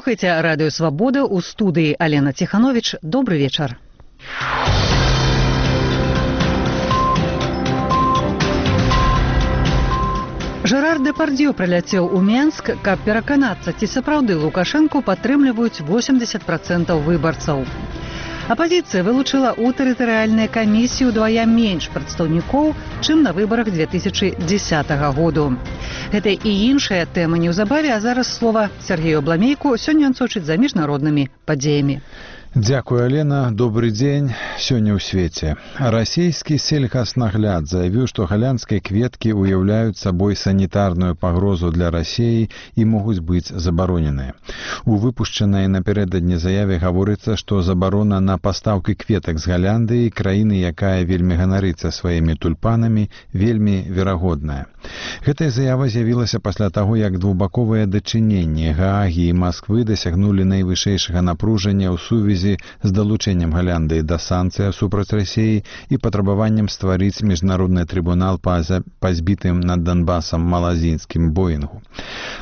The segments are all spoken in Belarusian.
Слухайте радио «Свобода», у студии Алена Тиханович. Добрый вечер. Жерар Депардье прыляцеў у Менск, каб пераканацца, ці сапраўды Лукашэнку падтрымліваюць 80% выбарцаў. Апазіцыя вылучыла ў тэрытарыяльнай камісіі ўдвая менш прадстаўнікоў, чым на выбарах 2010 году. Гэта і іншая тэма неўзабаве, а зараз слова Сергею Абламейку. Сёння ён сочыць за міжнароднымі падзеямі. Дякую, Алена. Добрый день. Сёння ў свеце. Расійскі сельхознагляд заявіў, што галянскія кветкі уяўляюць сабой санітарную пагрозу для Расіі і могуць быць забароненыя. У выпушчанай напярэдадні заяве гаворыцца, што забарона на пастаўкі кветак з Галяндыі, краіны, якая вельмі ганарыцца сваімі тульпанамі, вельмі верагодная. Гэтая заява з'явілася пасля таго, як двухбаковыя дачыненні Гаагі і Масквы дасягнулі найвышэйшага напружання ў сувязі з далучэннем Галяндыі да санкцый супраць Расіі і патрабаваннем стварыць міжнародны трыбунал па збітым над Донбасам малазійскім Боінгу.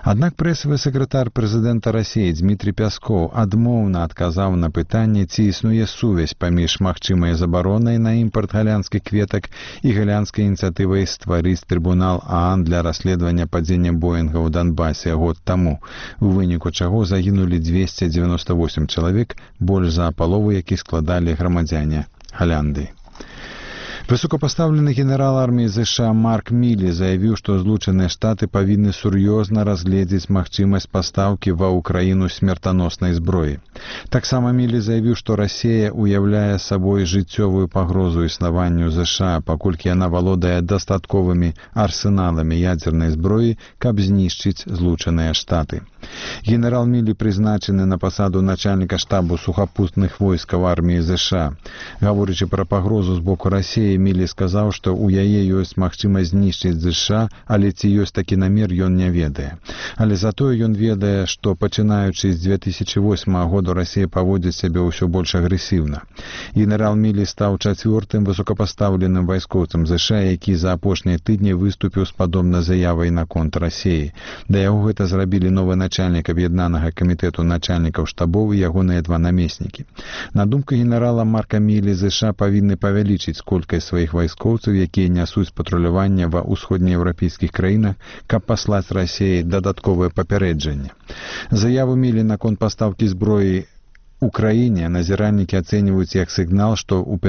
Аднак прэсавы сакратар прэзідэнта Расіі Дмітрий Пяскоў адмоўна адказаў на пытанне, ці існуе сувязь паміж магчымай забаронай на імпарт галянскіх кветак і галянскай ініцыятывай стварыць трыбунал ААН для расследавання падзення Боінга ў Донбасе год таму, у выніку чаго загінулі 298 чалавек, больш за палову якіх складалі грамадзяне Галяндыі. Высокапастаўлены генерал арміі США Марк Мілі заявіў, што Злучаныя Штаты павінны сур'ёзна разгледзець магчымасць пастаўкі ва ўкраіну смертаноснай зброі. Таксама Мілі заявіў, што Расія ўяўляе сабой жыццёвую пагрозу існаванню США, паколькі яна валодае дастатковымі арсеналамі ядзернай зброі, каб знішчыць Злучаныя Штаты. Генерал Мілі прызначаны на пасаду начальніка штабу сухапутных войскаў арміі США. Гаворачы пра пагрозу з боку Расіі, Мілі сказаў, што ў яе ёсць магчымасць знішчыць США, але ці ёсць такі намер, ён не ведае. Але затое ён ведае, што пачынаючы з 2008 году Расія паводзіць сябе ўсё больш агрэсіўна. Генерал Мілі стаў чацвёртым высокапастаўленым вайскоўцам США, які за апошнія тыдні выступіў з падобнай заявай наконт Расіі. Да яго гэта зрабілі новы начальнік аб'яднанага камітэту начальнікаў штабоў і ягоныя два намеснікі. На думку генерала Марка Мілі, США павінны павялічыць колькасць сваіх вайскоўцаў, якія нясуць патруляванне ва ўсходнееўрапейскіх краінах, каб паслаць Расіі дадатковае папярэджанне. Заяву Мілі наконт пастаўкі зброі у краіне назіральнікі ацэньваюць як сігнал, што ў